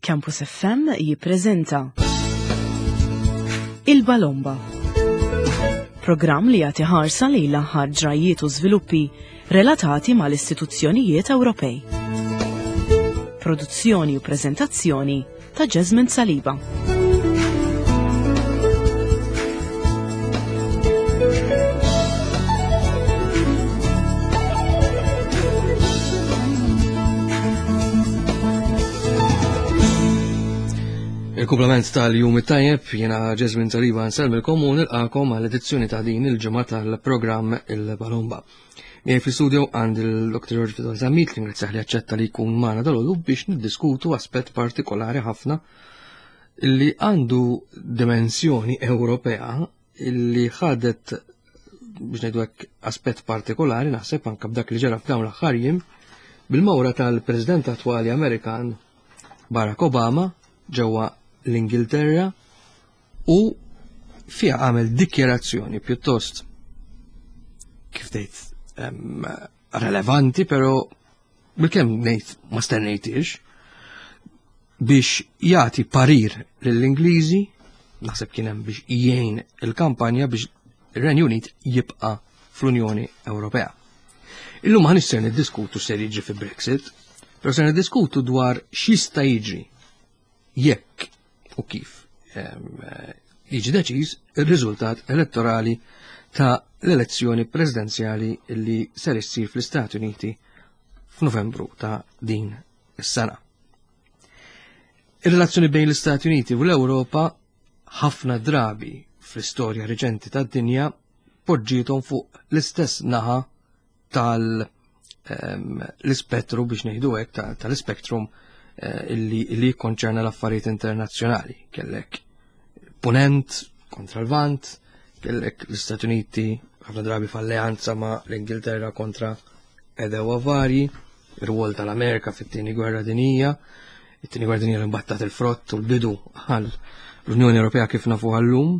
Campus FM jippreżenta Il-Balomba. Programm li jagħti ħarsa lejn l-aħħar ġrajjiet u żviluppi relatati mal-istituzzjonijiet Ewropej. Produzzjoni u preżentazzjoni ta' Jasmine Saliba. Il-kumplament tal-jum it-tajjeb jiena Jasmine Saliba nsellmilkom u nilqakom għal edizzjoni ta' din il-ġimgħa tal-programm Il-Balomba. Miegħi fl-istudio għand il-Dr. George Vidal Zammit li ngrazzjah li aċċetta li jkun magħna dalgħodu biex niddiskutu aspett partikolari ħafna li għandu dimensjoni Ewropea illi ħadet biex ngħidu hekk aspett partikolari naħseb anke b'dak li ġara f'dawn l-aħħar jiem bil-mawra tal-President attwali Amerikan Barack Obama ġewwa l-Ingilterra u fiha għamel dikjerazzjoni pjuttost kif tgħid relevanti, però bilkemm ngħid ma stennejtix biex jagħti parir lill-Ingliżi, naħseb kien hemm biex jgħin il-kampanja biex ir-Renju Unit jibqa' fl-Unjoni Ewropea. Illum ma ser niddiskutu ser jiġri fi Brexit, però ser niddiskutu dwar x'jista' jiġri jekk u kif jiġi deċiż ir-riżultat elettorali ta' l-elezzjoni presidenzjali li ser issir fl-Istati Uniti f'Novembru ta' din is-sena. Ir-relazzjoni bejn l-Istati Uniti u l-Ewropa ħafna drabi fl-istorja reċenti tad-dinja poġġiethom fuq l-istess naħa tal ehm, l-ispettru biex ngħidu hekk tal-ispektrum eh, illi li jikkonċerna l-affarijiet internazzjonali. Kellek punent kontra l-Vant, kellek l-Istati Uniti ħafna drabi f'alleanza ma' l-Ingilterra kontra edewa varji, ir-rwol tal-Amerika fit-tieni gwerra dinija, it-tieni gwerra dinija li mbattat il-frott u l-bidu għal l-Unjoni Ewropea kif nafu għallum.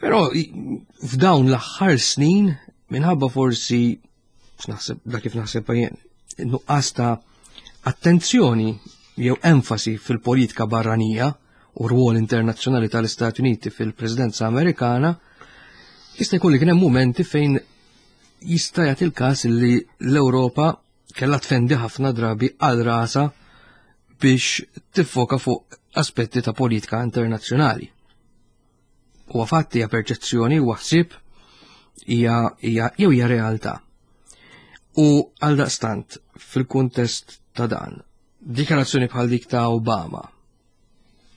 Però f'dawn l-aħħar snin minħabba forsi naħseb da kif naħseb jien, nuqqas ta' attenzjoni jew enfasi fil-politika barranija u rwol internazzjonali tal-Istati Uniti fil-Presidenza Amerikana, jista' jkun li kien hemm mumenti fejn jista' jagħti l-każ li l-Ewropa kellha tfendi ħafna drabi għal rasa biex tiffoka fuq aspetti ta' politika internazzjonali. Huwa fatti hija perċezzjoni huwa ħsieb hija jew hija realtà. U għal daqstant fil-kuntest ta' dan, dikjarazzjoni bħal dik ta' Obama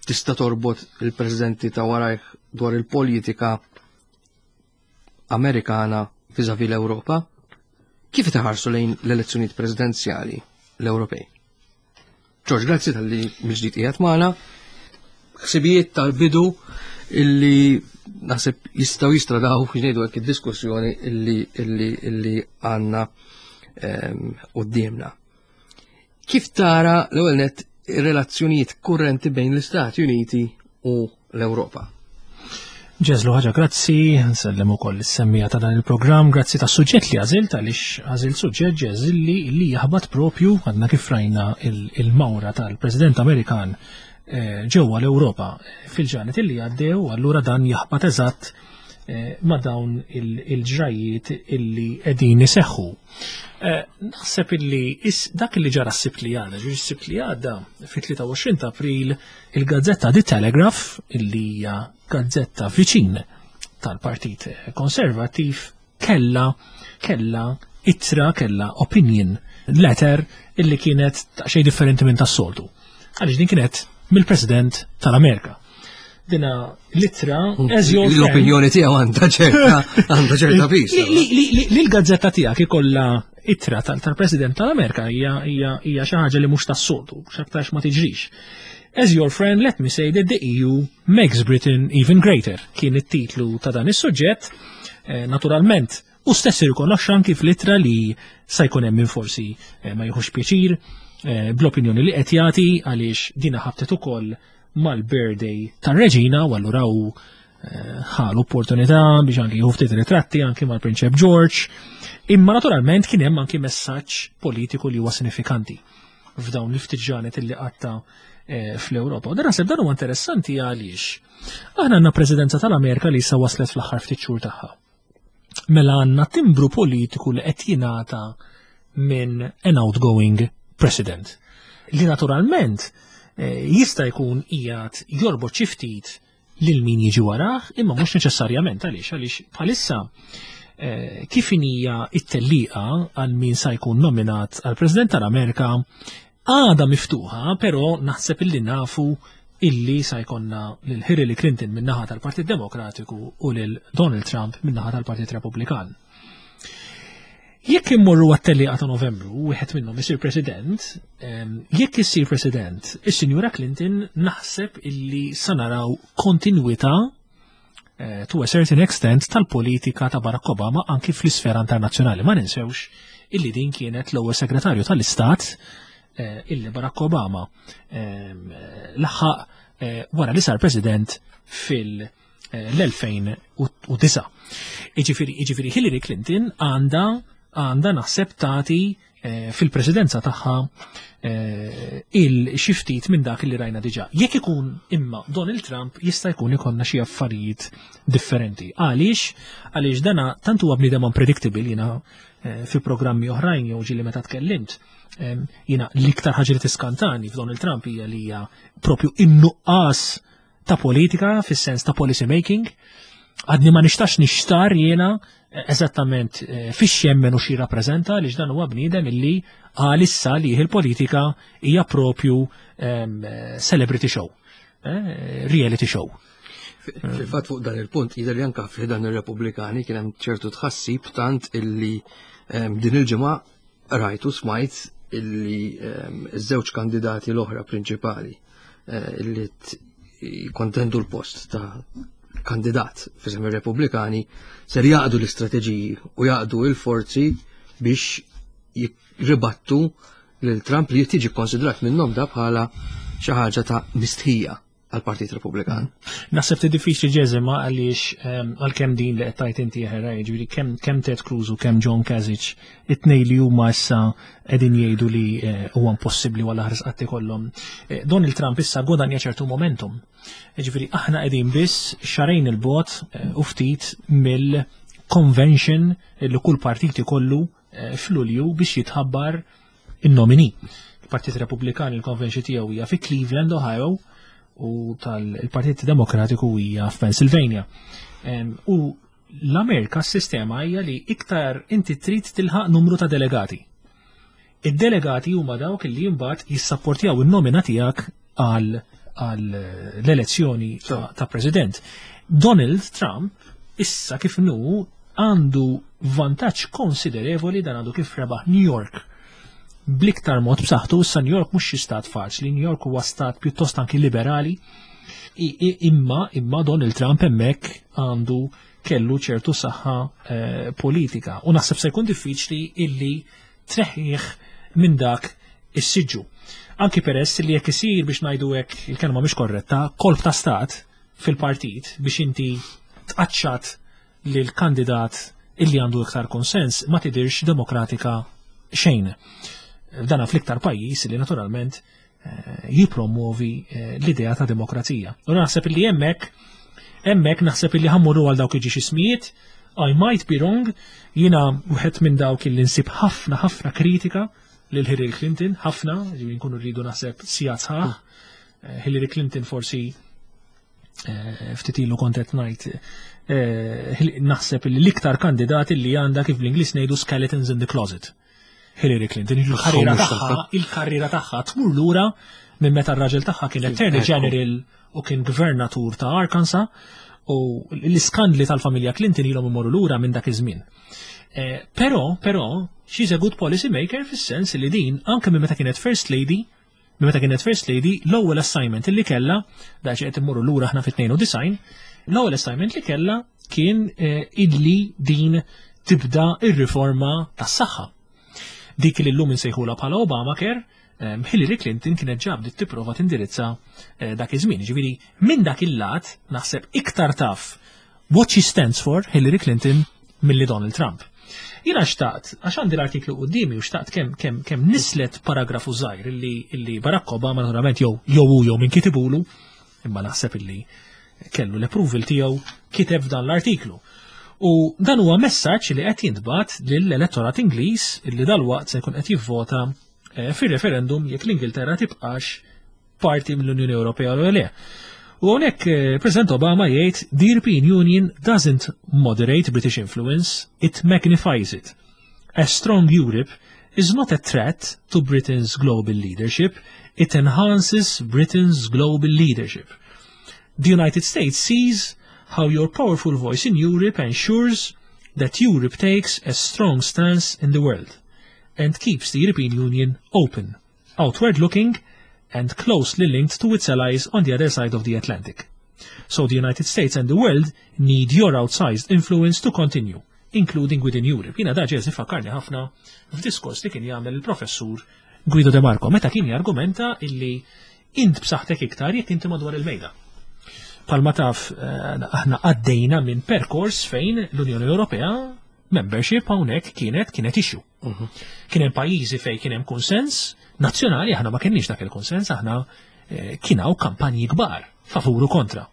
tista' torbot il-presidenti ta' warajh dwar il-politika Amerikana viżavi l-Ewropa? Kif iħarsu lejn l-elezzjonijiet presidenzjali l-Ewropej? George, grazzi tal-li mill-ġdid qiegħed magħna. Ħsibijiet tal-bidu illi naħseb jistgħu jistradaw biex ngħidu hekk id-diskussjoni illi illi illi għandna ehm, qudiemna. Kif tara l-ewwel nett ir-relazzjonijiet kurrenti bejn l-Istati Uniti u l-Ewropa? Ġeżlu ħaġa grazzi, nsellem ukoll is-semmija ta' dan il-programm, grazzi ta' suġġett li għażilt għaliex għażilt suġġett ġeżil li li jaħbat propju għadna kif rajna il-mawra tal-President Amerikan eh, ġewwa l-Ewropa fil-ġranet illi għaddew, allura dan jaħbat eżatt eh, ma' dawn il-ġrajiet illi qegħdin iseħħu. Eh, naħseb illi dak li ġara s-sibt li għadda, ġi s-sibt li għadda fit-23 ta' April il-gazzetta The Telegraph illi hija gazzetta viċin tal-Partit Konservattiv kella kella ittra kella opinion letter illi kienet xejn differenti minn tas-soltu. Għaliex din kienet mill-President tal-Amerika. Dina l-ittra as your L-opinjoni tiegħu għandha ċerta għandha ċerta pis. Li l-gazzetta tiegħek ikollha ittra tal-President tal-Amerika hija xi ħaġa li mhux tas-soltu, x'aktarx ma tiġrix. As your friend, let me say that the EU makes Britain even greater. Kien it-titlu ta' dan is-suġġett. Eh, naturalment, u stess irrikonoxxa anki fl-ittra li sa jkun hemm min forsi eh, ma jieħux pjaċir eh, bl-opinjoni li qed jagħti għaliex dina ħabtet ukoll mal-birthday tar-reġina u allura hu eh, ħa l-opportunità biex anki jieħu ftit ritratti anki mal-Prinċep George. Imma naturalment kien hemm anki messaġġ politiku li huwa sinifikanti f'dawn l-ftit ġranet illi qatta. fl-Ewropa. U dan naħseb dan huwa interessanti għaliex aħna għandna presidenza tal-Amerika li issa waslet fl-aħħar ftit xhur tagħha. Mela għandna timbru politiku li qed jingħata minn an outgoing president. Li naturalment jista' jkun qiegħed jorbot xi ftit lil min jiġi warah, imma mhux neċessarjament. Għaliex? Għaliex bħalissa kif inhija it-tellieqa għal min sa jkun nominat għal President tal-Amerika għada miftuħa, però naħseb illi nafu illi sa jkollna lil Hillary Clinton min-naħa tal-Partit Demokratiku u lil Donald Trump min-naħa tal-Partit Repubblikan. Jekk immorru għat-tellieqa ta' Novembru, wieħed minnhom isir President, jekk isir President, is-Sinjura Clinton, naħseb illi sa naraw kontinwità to a certain extent tal-politika ta' Barack Obama anki fl-isfera internazzjonali. Ma ninsewx illi din kienet l-ewwel segretarju tal-Istat illi Barack Obama laħaq wara li sar President fil- l-2009. Iġifieri Hillary Clinton għandha naħseb tagħti fil-presidenza tagħha il xi ftit minn dak li rajna diġà. Jekk ikun imma Donald Trump, jista' jkun ikollna xi affarijiet differenti. Għaliex? Għaliex dana tant huwa bniedem unpredictable. Jiena fi programmi oħrajn jew ġieli meta tkellimt, jiena l-iktar ħaġa li tiskantani f'Donald Trump hija li hija propju in-nuqqas ta' politika fis-sens ta' policy making. Għadni ma nistax nixtar jiena eżattament fiex jemmen u xi rappreżenta, li dan huwa bniedem illi għalissa li il-politika hija propju celebrity show, reality show. Fil-fatt, fuq dan il-punt, jidher li anka fi dan ir-Repubblikani kien hemm ċertu tħassib, tant illi din il-ġimgħa rajtu smajt illi iż-żewġ kandidati l-oħra prinċipali illi jikkontendu l-post ta' kandidat f'isem ir-Repubblikani ser jgħaqqdu l-istrateġiji u jgħaqqdu il-forzi biex jirribattu lil Trump, li tiġi konsidrat minnhom da bħala xi ħaġa ta' mistħija għal-Partit Repubblikan. Naħseb ti diffiċli ġeżima għaliex għalkemm din li qed tajt inti ħera, jiġifieri kemm Ted Cruz u kemm John Kasich, it-tnej li huma issa qegħdin jgħidu li huwa impossibbli wara ħares qatt ikollhom. Donald Trump issa godanja ċertu momentum. Jiġifieri aħna qegħdin biss xahrejn 'il bogħod u ftit mill-convention li kull partit ikollu f'Lulju biex jitħabbar in-nomini. Il-Partit Repubblikan, il-convention tiegħu hija fi Cleveland, Ohio, u tal-Partit Demokratiku hija f'Pennsylvania. U l-Amerika s-sistema hija li iktar inti trid tilħaq numru ta' delegati. Id-delegati huma dawk li mbagħad jissapportjaw in-nomina tiegħek għal l-elezzjoni ta' president. Donald Trump issa kif nu għandu vantaġġ konsiderevoli, dan għandu kif rebaħ New York bl-iktar mod b'saħħtu. Issa New York mhux xi stat faċli, New York huwa stat pjuttost anki liberali. Imma Donald Trump hemmhekk għandu kellu ċertu saħħa politika u naħseb se jkun diffiċli illi treħħih minn dak is-siġġu. Anki peress li jekk isir, biex ngħidu hekk, il-kelma mhix korretta, kolp ta' stat fil-partit biex inti tqaċċat lil kandidat illi għandu iktar konsens, ma tidirx demokratika xejn. Dana fl-iktar pajjiż li naturalment jipromuovi l-idea ta' demokrazija. U naħseb illi hemmhekk naħseb illi ħa mmorru għal dawk iġi ismijiet. I might be wrong, jiena wieħed minn dawk illi nsib ħafna ħafna kritika lil Hillary Clinton, ħafna, ġifieri nkunu rridu naħseb sigħat sħaħ. Hillary Clinton forsi ftit ilu kont qed ngħid naħseb li l-iktar kandidati li għandha, kif bl-Ingliż ngħidu, skeletons in the closet. Hillary Clinton, il-karriera tagħha tmur lura minn meta r-raġel tagħha kien Attorney General u kien gvernatur ta' Arkansas, u l-iskandli tal-familja Clinton ilhom imorru lura minn dak iż-żmien. Però, she's a good policy maker fis-sens li din anke minn meta kienet First Lady, minn meta kienet First Lady, l-ewwel assignment li kella, da qed immorru lura aħna fit-92, l-ewwel assignment li kella kien illi din tibda ir-riforma tas-saħħa. Dik li llum insejħula bħala Obamacare, Hillary Clinton kienet ġa bdiet tipprova tindirizza dak iż-żmien. Ġifieri minn dak il-lat naħseb iktar taf what she stands for Hillary Clinton milli Donald Trump. Jiena xtaqt, għax għandi l-artiklu qudiemi u xtaqt kemm kemm kemm nislet paragrafu żgħir illi illi Barack Obama naturalment jew jew hu jew min kitibulu, imma naħseb illi kellu l-approval tiegħu kiteb f'dan l-artiklu. U dan huwa messaġġ li qed jintbagħat lill-elettorat Ingliż illi dalwaqt se jkun qed jivvota eh, fir-referendum jekk l-Ingilterra tibqax parti mill-Unjoni Ewropea u le. U hawnhekk eh, President Obama jgħid the European Union doesn't moderate British influence, it magnifies it. A strong Europe is not a threat to Britain's global leadership, it enhances Britain's global leadership. The United States sees how your powerful voice in Europe ensures that Europe takes a strong stance in the world and keeps the European Union open, outward looking, and closely linked to its allies on the other side of the Atlantic. So the United States and the world need your outsized influence to continue, including within Europe. Jiena da ġeżi fakkarni ħafna f'diskors li kien jagħmel il-professur Guido De Marco meta kien jargumenta illi int b'saħħtek iktar jekk inti madwar il-mejda. Palma taf eh, aħna għaddejna minn perkors fejn l-Unjoni Ewropea membership hawnhekk kienet kienet issue. Mhm. Kien hemm pajjiżi fejn kien hemm konsens nazzjonali, aħna ma kenniex dak il-konsens, aħna eh, kien hawn kampanji kbar favur u kontra.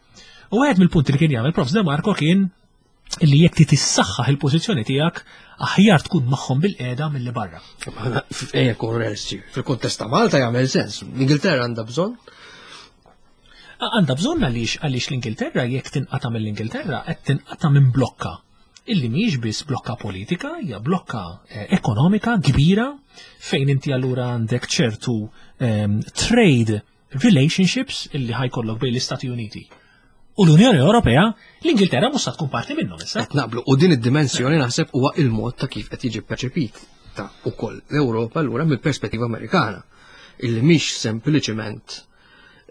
U għed mill-punti li kien jagħmel Prof. De Marco kien li jekk ti tissaħħaħ il-pożizzjoni tiegħek aħjar tkun magħhom bil-qiegħda milli barra. Ejja kun fil-kuntest ta' Malta jagħmel sens. L-Ingilterra għandha bżonn Għandha bżonn għaliex għaliex l-Ingilterra jekk tinqata' mill-Ingilterra qed tinqata' minn blokka illi mhijiex biss blokka politika, hija blokka eh, ekonomika kbira fejn inti allura għandek ċertu ehm, trade relationships illi ħajkollok bejn l-Istati Uniti u l-Unjoni Ewropea, l-Ingilterra mhux se tkun parti minnhom issa. Qed naqblu u din id-dimensjoni naħseb huwa il-mod ta' kif qed jiġi perċepit ta' ukoll l-Ewropa allura mill-perspettiva Amerikana illi mhix sempliċement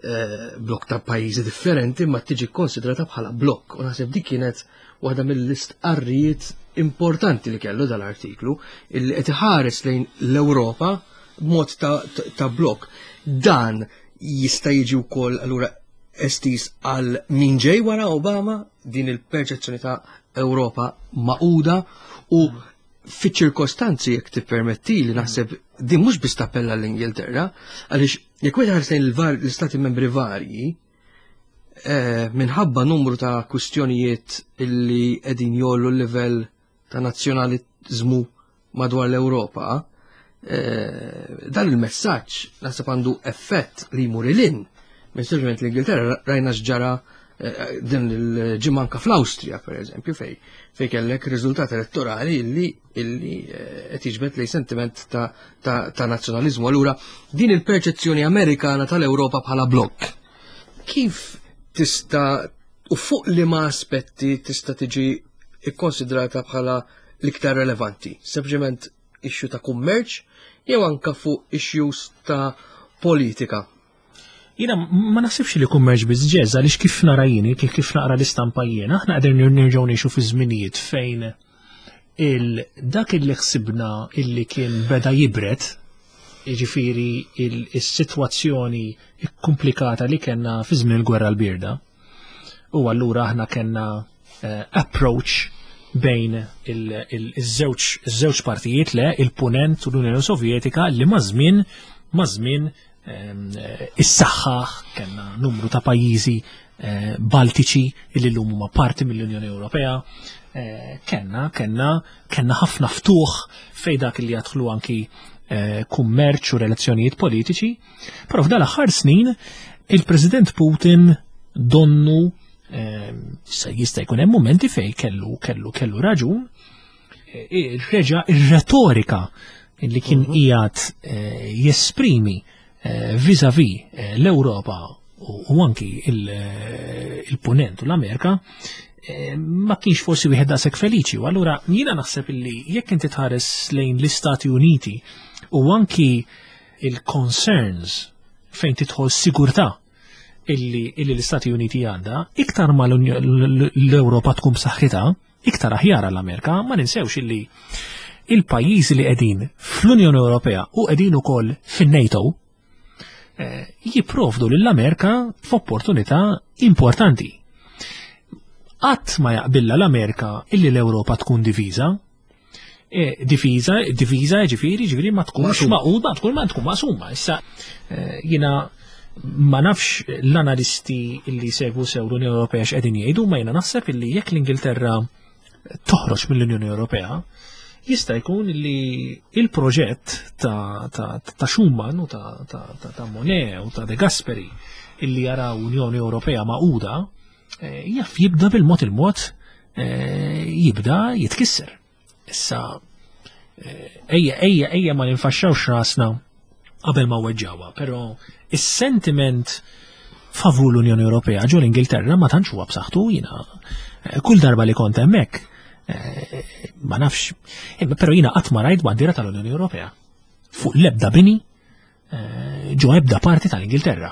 eh, blok ta' pajjiżi differenti ma tiġi konsidrata bħala blok. U naħseb dik kienet waħda mill-istqarrijiet importanti li kellu dal-artiklu illi qed iħares lejn l-Ewropa b'mod ta', ta blok. Dan jista' jiġi wkoll allura estiż għal min ġej wara Obama din il-perċezzjoni ta' Ewropa maquda u fiċ-ċirkostanzi jekk tippermetti li naħseb din mhux biss tappella l-Ingilterra, għaliex jekk wieħed ħares lejn l-istati membri varji, eh, minħabba numru ta' kwistjonijiet illi qegħdin jollu l-livell ta' nazzjonaliżmu madwar l-Ewropa, eh, dan il-messaġġ naħseb għandu effett li jmur ilin minn sempliċement l-Ingilterra rajna x'ġara eh, din il-ġimgħa anka fl-Awstrija pereżempju fej fej kellek riżultat elettorali illi illi eh, qed jiġbed lej sentiment ta', ta, ta nazzjonaliżmu. Allura din il-perċezzjoni Amerikana tal-Ewropa bħala blokk. Kif tista' u fuq liema aspetti tista' tiġi ikkonsidrata bħala l-iktar relevanti? Sempliċement issue ta' kummerċ jew anka fuq issues ta' politika? Jiena ma naħsibx li kummerċ biss ġeż għaliex kif nara jien, kif kif naqra l-istampa jiena, aħna qegħdin nerġgħu ngħixu fi żminijiet fejn il dak illi ħsibna illi kien beda jibret, jiġifieri il-sitwazzjoni kkumplikata li kellna fi żmien il-gwerra l-bierda. U allura aħna kellna eh, approach bejn iż-żewġ partijiet le il-punent u l-Unjoni Sovjetika li maż-żmien maż-żmien ehm, is-saħħaħ kellna numru ta' pajjiżi eh, Baltiċi li llum huma parti mill-Unjoni Ewropea. Eh, kenna, kenna, kenna ħafna ftuħ fej dak li jadħlu anki eh, kummerċ u relazzjonijiet politiċi. Però f'dal aħħar snin il-President Putin donnu jista' jkun hemm momenti fej kellu kellu kellu raġun e, reġa' ir-retorika li kien mhm. qiegħed eh, jesprimi eh, vis-a-vis eh, l-Ewropa u anki il-Punent u l-Amerika ma kienx forsi wieħed daqshekk feliċi. U allura jiena naħseb illi jekk inti tħares lejn l-Istati Uniti u anki il-concerns fejn tidħol sigurtà illi, illi l-Istati Uniti għandha, iktar ma l-Ewropa tkun b'saħħitha, iktar aħjar għall-Amerika, ma ninsewx illi il-pajjiżi li qegħdin fl-Unjoni Ewropea u qegħdin ukoll fin-NATO eh, jipprovdu lill-Amerika f'opportunità importanti. Qatt ma jaqbilla l-Amerika illi l-Ewropa tkun diviża. Eh, difiża, diviża ġifieri, ġifieri ma tkunx maquda, tkun ma tkun maqsuma. Issa eh, jiena ma nafx l-analisti li segwu sew l-Unjoni Ewropea x'qegħdin jgħidu, ma jiena naħseb illi jekk l-Ingilterra toħroġ mill-Unjoni Ewropea, jista' jkun li il-proġett ta', ta, ta Schumann u ta', ta, ta, ta Monet u ta' De Gasperi illi jaraw Unjoni Ewropea maquda, eh, jaf jibda bil-mod il-mod jibda jitkisser. Issa, eh, ejja, ejja, ejja ma ninfaxxawx rasna qabel ma weġġawha, però is-sentiment favur l-Unjoni Ewropea ġo l-Ingilterra ma tantx huwa b'saħħtu jiena eh, kull darba li kont hemmhekk eh, ma nafx, però jiena qatt ma rajt bandiera tal-Unjoni Ewropea fuq l-ebda bini ġo ebda parti tal-Ingilterra.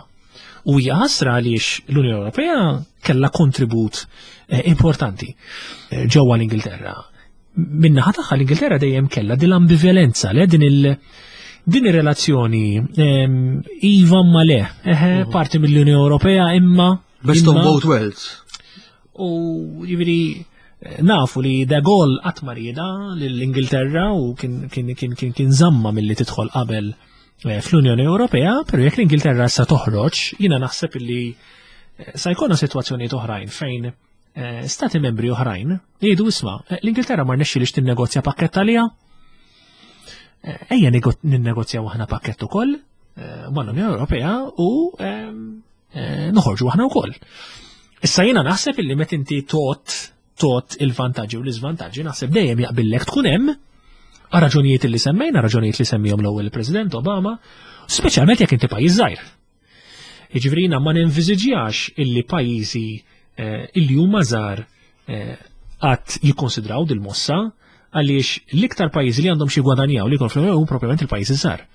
U hija ħasra għaliex l-Unjoni Ewropea kellha kontribut eh, importanti eh, ġewwa l-Ingilterra. Min-naħa tagħha l-Ingilterra dejjem kellha din l-ambivalenza le din il- din ir-relazzjoni ehm, iva ma le, eħe, mhm. parti mill-Unjoni Ewropea imma Best of both worlds. U jiġifieri nafu li De Gaulle qatt ma rieda lill-Ingilterra u kien kien kien kien kien żamma milli tidħol qabel eh, fl-Unjoni Ewropea, però jekk l-Ingilterra issa toħroġ, jiena naħseb illi eh, sa jkollna sitwazzjonijiet oħrajn fejn eh, stati membri oħrajn jgħidu isma' l-Ingilterra ma rnexxilix tinnegozja pakkett għaliha. Ejja ninnegozjaw aħna pakkett ukoll mal-Unjoni Ewropea u ehm, noħorġu aħna wkoll. Issa jiena naħseb illi meta inti tot tot il-vantaġġi u l-iżvantaġġi naħseb dejjem jaqbillek tkun hemm għal raġunijiet li semmejna, raġunijiet li semmihom l-ewwel il-President Obama, speċjalment jekk inti pajjiż żgħir. Jiġifieri jiena ma ninviżiġjax illi pajjiżi eh, illi huma żgħar eh, qatt jikkonsidraw dil-mossa għaliex l-iktar pajjiżi li għandhom xi gwadanjaw li jkun fl-Unjoni propjament il-pajjiżi żgħar.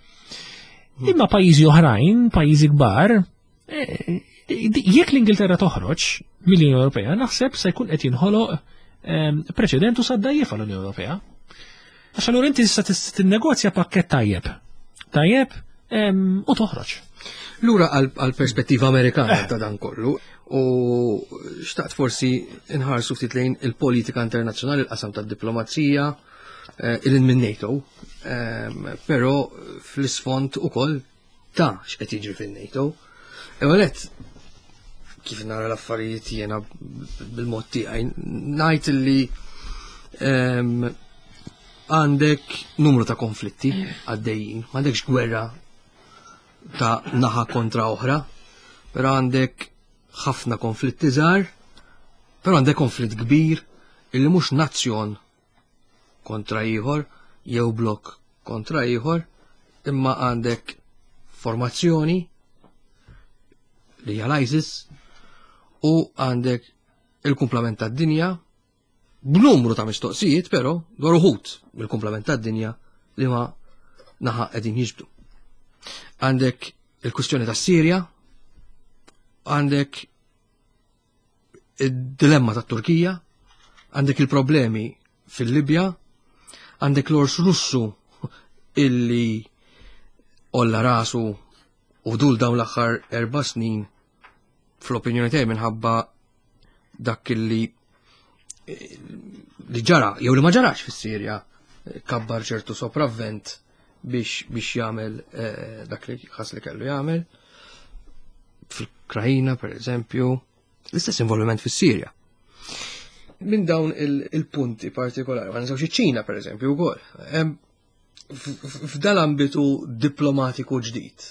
Imma pajjiżi oħrajn, pajjiżi kbar, eh, jekk l-Ingilterra toħroġ mill-Unjoni Ewropea, naħseb se jkun qed jinħoloq ehm, preċedent u saddajjef għall-Unjoni Ewropea. Għax allura inti tista' tinnegozja pakkett tajjeb. Tajjeb ehm, u toħroġ. Lura għal-perspettiva Amerikana eh. ta' dan kollu, u xtaqt forsi nħarsu ftit lejn il-politika internazzjonali, il-qasam tad-diplomazija, eh, il minn NATO, ehm, però fl-isfond ukoll ta' x'qed jiġri fin-NATO. Ewwel kif nara l-affarijiet jiena bil-mod tiegħi ngħid li ehm, għandek numru ta' konflitti għaddejjin, m'għandekx gwerra ta' naħa kontra oħra, però għandek ħafna konflitti żgħar, però għandek konflitt kbir illi mhux nazzjon kontra ieħor jew blok kontra ieħor, imma għandek formazzjoni li hija l-ISIS u għandek il-kumplament tad-dinja b'numru ta' mistoqsijiet però dwar uħud mill-kumplament tad-dinja li ma naħa qegħdin jiġbdu. Għandek il-kwistjoni tas-Sirja, għandek id-dilemma tat-Turkija, għandek il-problemi fil-Libja, għandek l-ors Russu illi olla rasu u dul dawn l-aħħar erba' snin fl-opinjoni tiegħi minħabba dak illi li ġara jew li ma ġarax fis-Sirja kabbar ċertu sopravvent biex biex jagħmel eh, dak li ħass li kellu jagħmel fil-Ukrajina per eżempju, l-istess involviment fis-Sirja. Minn dawn il-punti partikolari, ma ninsewx iċ-Ċina per eżempju wkoll. F'dal ambitu diplomatiku ġdid.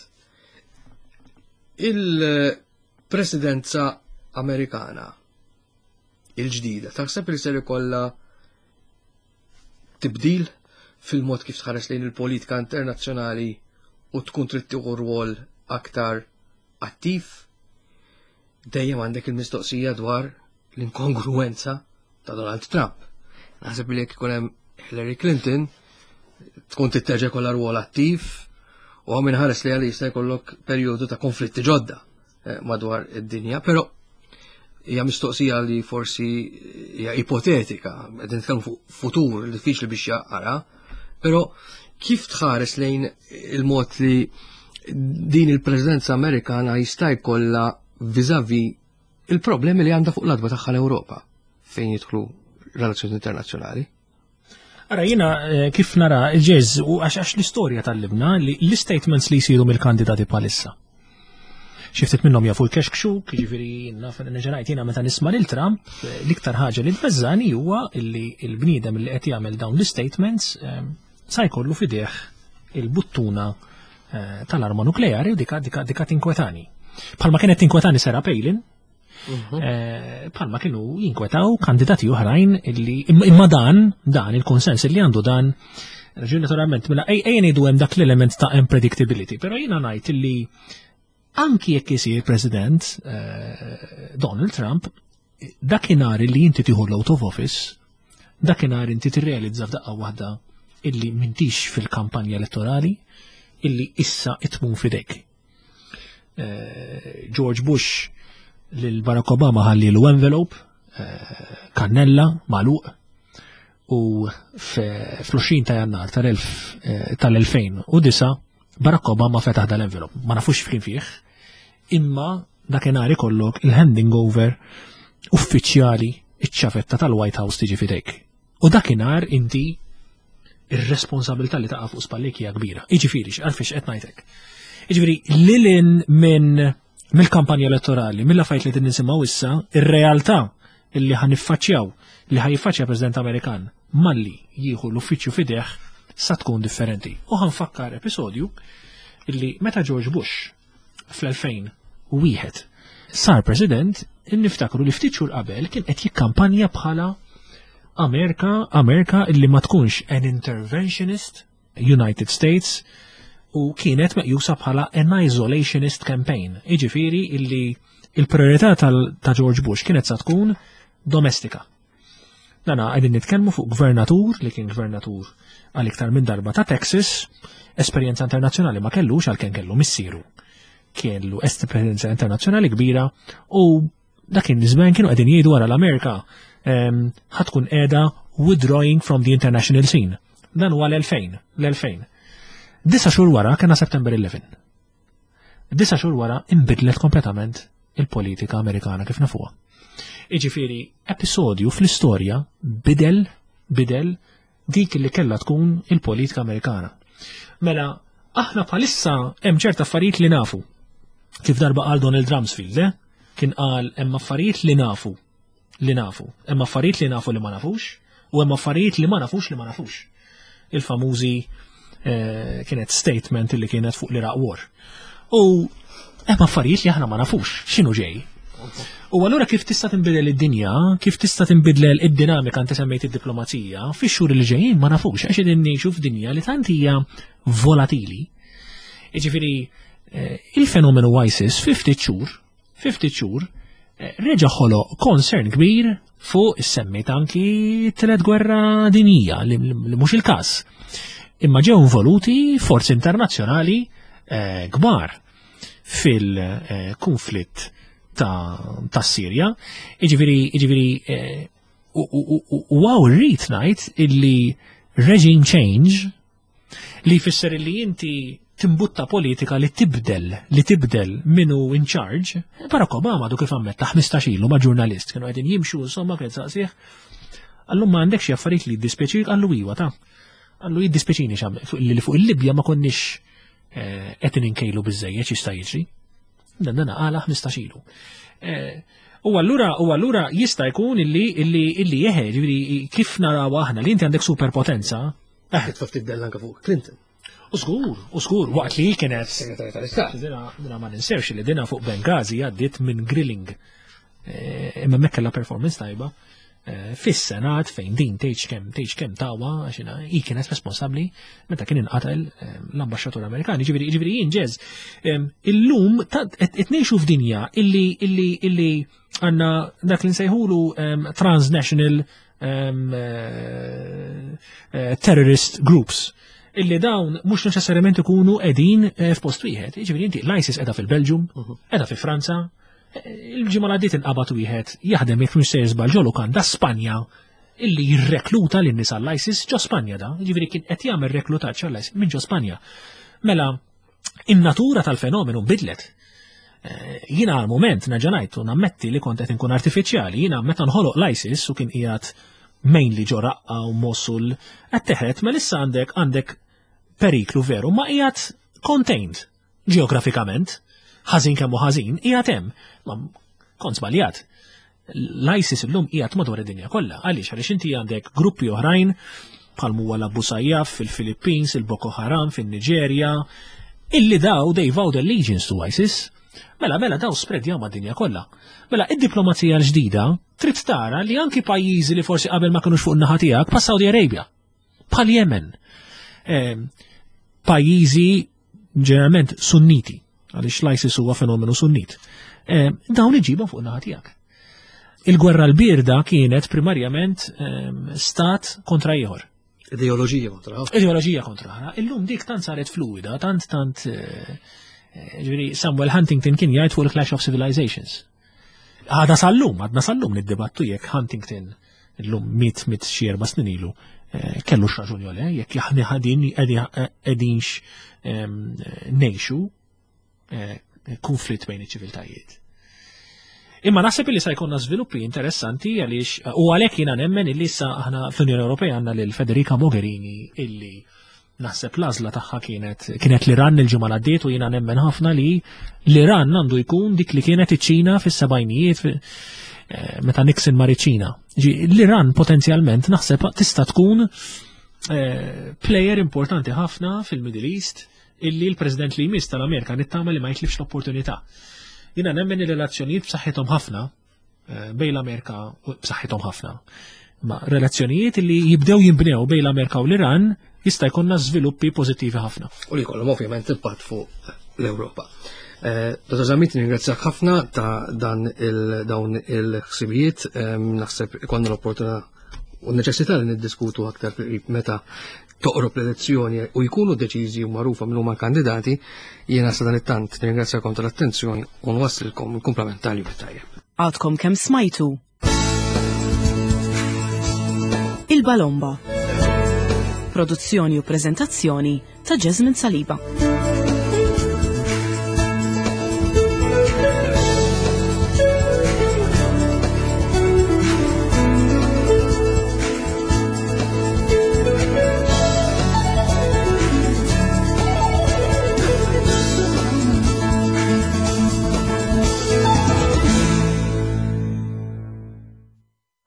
Il-presidenza Amerikana il-ġdida, taħseb li ser ikollha tibdil fil-mod kif tħares lejn il-politika internazzjonali u tkun trid tieħu rwol aktar attiv? Dejjem għandek il-mistoqsija dwar l-inkongruenza ta' Donald Trump. Naħseb li jekk ikun hemm Hillary Clinton tkun titterġa' kollha rwol attiv u għam inħares li għalli jista' jkollok perjodu ta' konflitti ġodda eh, madwar id-dinja, però hija mistoqsija li forsi hija ipotetika, qed nitkellmu fuq futur diffiċli biex jaqra, però kif tħares lejn il-mod li din il-presidenza Amerikana jista' jkollha viżavi il-problemi li għandha fuq l-adba tagħha l-Ewropa fejn jidħlu relazzjoni internazzjonali? Ara jiena kif nara il-ġeż u għax l-istorja tal-libna li l-statements li jsiru mill-kandidati bħalissa. Xi ftit minnhom jafu l-kexkxuk, jiġifieri naf nerġa' ngħid jiena meta nisma' lil Trump, l-iktar ħaġa li tbeżżani huwa li l-bniedem li qed jagħmel dawn l-statements sa jkollu f'idejh il-buttuna tal-arma nukleari u dika dika dika tinkwetani. Bħalma kienet tinkwetani Sarah Palin, bħalma kienu jinkwetaw kandidati oħrajn illi imma dan il-konsens illi għandu dan raġun naturalment mela ejja ngħidu hemm dak l-element ta' unpredictability, però jiena ngħid illi anki jekk isir President Donald Trump, dakinhar li inti tieħu l-oath of office, dakinhar inti tirrealizza f'daqqa waħda illi m'intix fil-kampanja elettorali, illi issa it-tmun f'idejk. George Bush lil Barack Obama ħallilu envelope, kannella, magħluq, u fl-20 ta' Jannar tal-2009 Barack Obama fetaħ dal-envelope. Ma nafux f'kien fih, imma dakinhar ikollok il-handing over uffiċjali, iċ-ċavetta tal-White House tiġi f'idejk. U dakinhar inti ir-responsabilità li taqa' fuq spallejk hija kbira. Jiġifieri, għalfiex qed ngħidlek. Jiġifieri, lilin minn mill-kampanja elettorali, mill-affarijiet li qegħdin nisimgħu issa, ir-realtà illi ħa niffaċċjaw, li ħa jiffaċċja President Amerikan malli jieħu l-uffiċċju f'idejh sa tkun differenti. U ħa nfakkar episodju illi meta George Bush fl-2001 sar President, niftakru li ftit xhur qabel kien qed jikkampanja bħala Amerika, Amerika illi ma tkunx an interventionist United States, u kienet meqjusa bħala an isolationist campaign. Jiġifieri illi il-priorità ta' George Bush kienet sa tkun domestika. Dana qegħdin nitkellmu fuq gvernatur li kien gvernatur għal iktar minn darba ta' Texas, esperjenza internazzjonali ma kellux għalkemm kellu missieru. Kellu esperjenza internazzjonali kbira u dak iż-żmien kienu qegħdin jgħidu wara l-Amerika ħa tkun qiegħda withdrawing from the international scene. Dan huwa l-2000, l-2000. 9 xhur wara kena September 11. 9 xhur wara inbidlet kompletament il-politika Amerikana kif nafuha. Jiġifieri, episodju fl-istorja bidel dik li kellha tkun il-politika Amerikana. Mela, aħna bħalissa hemm ċerta affarijiet li nafu. Kif darba qal Donald Rumsfeld, eh? Kien qal hemm affarijiet li nafu, li nafu. Hemm affarijiet li nafu li ma nafux, u hemm affarijiet li ma nafux li ma nafux. Il-famużi kienet statement li kienet fuq l-Iraq War. U hemm affarijiet li aħna ma nafux x'inhu ġej. U allura kif tista' tinbidel id-dinja, kif tista' tinbidel id-dinamika, inti semmejt id-diplomazija, fix-xhur li ġejjin ma nafux, għax qegħdin ngħixu f'dinja li tant hija volatili. Jiġifieri, il-fenomenu ISIS fi ftit xhur, fi ftit xhur, reġa' ħoloq concern kbir fuq is-semmejt anki t-tielet gwerra dinjija li mhux il-każ. Imma ġew involuti forzi internazzjonali kbar fil-konflitt ta' Sirja. Jiġifieri, u hawn rrid ngħid illi regime change li jfisser illi inti timbutta politika li tibdel, li tibdel minu in charge. Barack Obama du kif ammetta 15 ilu ma' ġurnalist, kienu qegħdin jimxu, insomma, kien saqsih. Qallu ma għandek xi affarijiet li jiddispjaċik, qallu iwa ta'. Qallu jiddispjaċini li fuq il-Libja ma konniex qed inkejlu biżejjed x'jista' jiġri. Dan dan qala 15 ilu. U allura jista' jkun illi jeħe, ġifieri kif naraw aħna li inti għandek superpotenza. Titfa' ftit dell anke fuq Clinton. U żgur, u żgur, waqt li kienet Segretarju tal-Istat. Dina ma ninsewx li dina fuq Benghazi għaddiet minn grilling. Imma hemmhekk kellha performance tajba. Fis-Senat fejn din tgħidx kemm tawa, għax hi kienet responsabbli meta kien inqatel l-ambaxxatur Amerikan. Jiġifieri jien ġeż, illum qed ngħixu f'dinja illi għandna dak li nsejħulu transnational terrorist groups illi dawn mhux neċessarjament ikunu qegħdin f'post wieħed. Jiġifieri inti l-ISIS qiegħda fil-Belġium, qiegħda fi Franza, il-ġimgħa li għaddiet inqabad wieħed jaħdem jekk mhux sejjer żball ġo lukanda Spanja illi jirrekluta lin nies għall-ISIS ġo Spanja da, jiġifieri kien qed jagħmel reklutaġġ għall-ISIS minn ġo Spanja. Mela, in-natura tal-fenomenu bidlet. Jiena għal moment nerġa' ngħid u nammetti li kont qed inkun artifiċjali, jiena meta nħoloq l-ISIS u kien qiegħed mainly ġo Raqqa u Mosul, qed teħet mela issa għandek għandek periklu veru ma qiegħed contained ġeografikament, ħażin kemm hu ħażin, qiegħed hemm. Ma kont żbaljat. L-ISIS illum qiegħed madwar id-dinja kollha. Għaliex għaliex inti għandek gruppi oħrajn bħal huwa l-Abu Sayyaf fil-Filippins, il-Boko Haram fin-Niġerja, illi daw they vowed allegiance to ISIS. Mela, mela daw spreadjaw mad-dinja kollha. Mela, id-diplomazija l-ġdida trid tara li anki pajjiżi li forsi qabel ma kinux fuq in-naħa tiegħek bħal Saudi Arabia, bħal Yemen, ehm, pajjiżi ġeneralment sunniti, għaliex l-ISIS huwa fenomenu sunnit, ehm, dawn iġibhom fuq naħa tiegħek. Il-gwerra l-birda kienet primarjament ehm, stat kontra ieħor. Ideoloġija kontra oħra. Ideoloġija kontra oħra. Illum dik tant saret fluida, tant tant eh, eh, ġifieri Samuel Huntington kien jgħid fuq il-Clash of Civilizations. Għada sal-lum, għadna sal-lum niddibattu jekk Huntington illum mit mit xi erba' snin ilu eh, kellu x'raġun jew le, jekk aħna ħadin qegħdinx ehm, ngħixu eh, konflitt bejn iċ-ċiviltajiet. Imma naħseb li sa jkollna żviluppi interessanti għaliex u għalhekk jiena nemmen illi issa aħna fl-Unjoni Ewropea għandna lil Federica Mogherini illi Naħseb l-għażla tagħha kienet kienet l-Iran il-ġimgħa l għaddiet u jiena nemmen ħafna li l-Iran għandu jkun dik li kienet iċ-Ċina fis-sebgħinijiet eh, meta Nixon mar iċ-Ċina. L-Iran potenzjalment naħseb tista' tkun eh, player importanti ħafna fil-Middle East illi l-President li jmiss tal-Amerika nittama li ma jitlifx l-opportunità. Jiena nemmen il-relazzjonijiet b'saħħithom ħafna Eh, bejn l-Amerika b'saħħithom ħafna. Ma relazzjonijiet li jibdew jinbnew bejn l-Amerika u l-Iran jista' jkollna żviluppi pożittivi ħafna. U li jkollhom ovvjament impatt fuq l-Ewropa. Eh, Dr. Zammit, ningrazzjak ħafna ta' dan il-dawn il-ħsibijiet, ehm, naħseb ikonna l-opportunità u neċessità li niddiskutu aktar fil-qrib meta toqrob l-elezzjoni u jkunu deċiżi u magħrufa minn huma kandidati, jiena sa dan it-tant nirringrazzjakom tal-attenzjoni u nwassilkom il-kumplament tal-jum tajjeb. Għadkom kemm smajtu Il-Balomba. Produzzjoni u prezentazzjoni ta' Jasmine Saliba.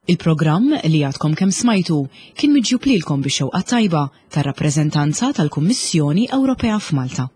Il-programm li għadkom kemm smajtu kien miġjub lilkom bix-xewqa tajba tar-rappreżentanza tal-Kummissjoni Ewropea f'Malta.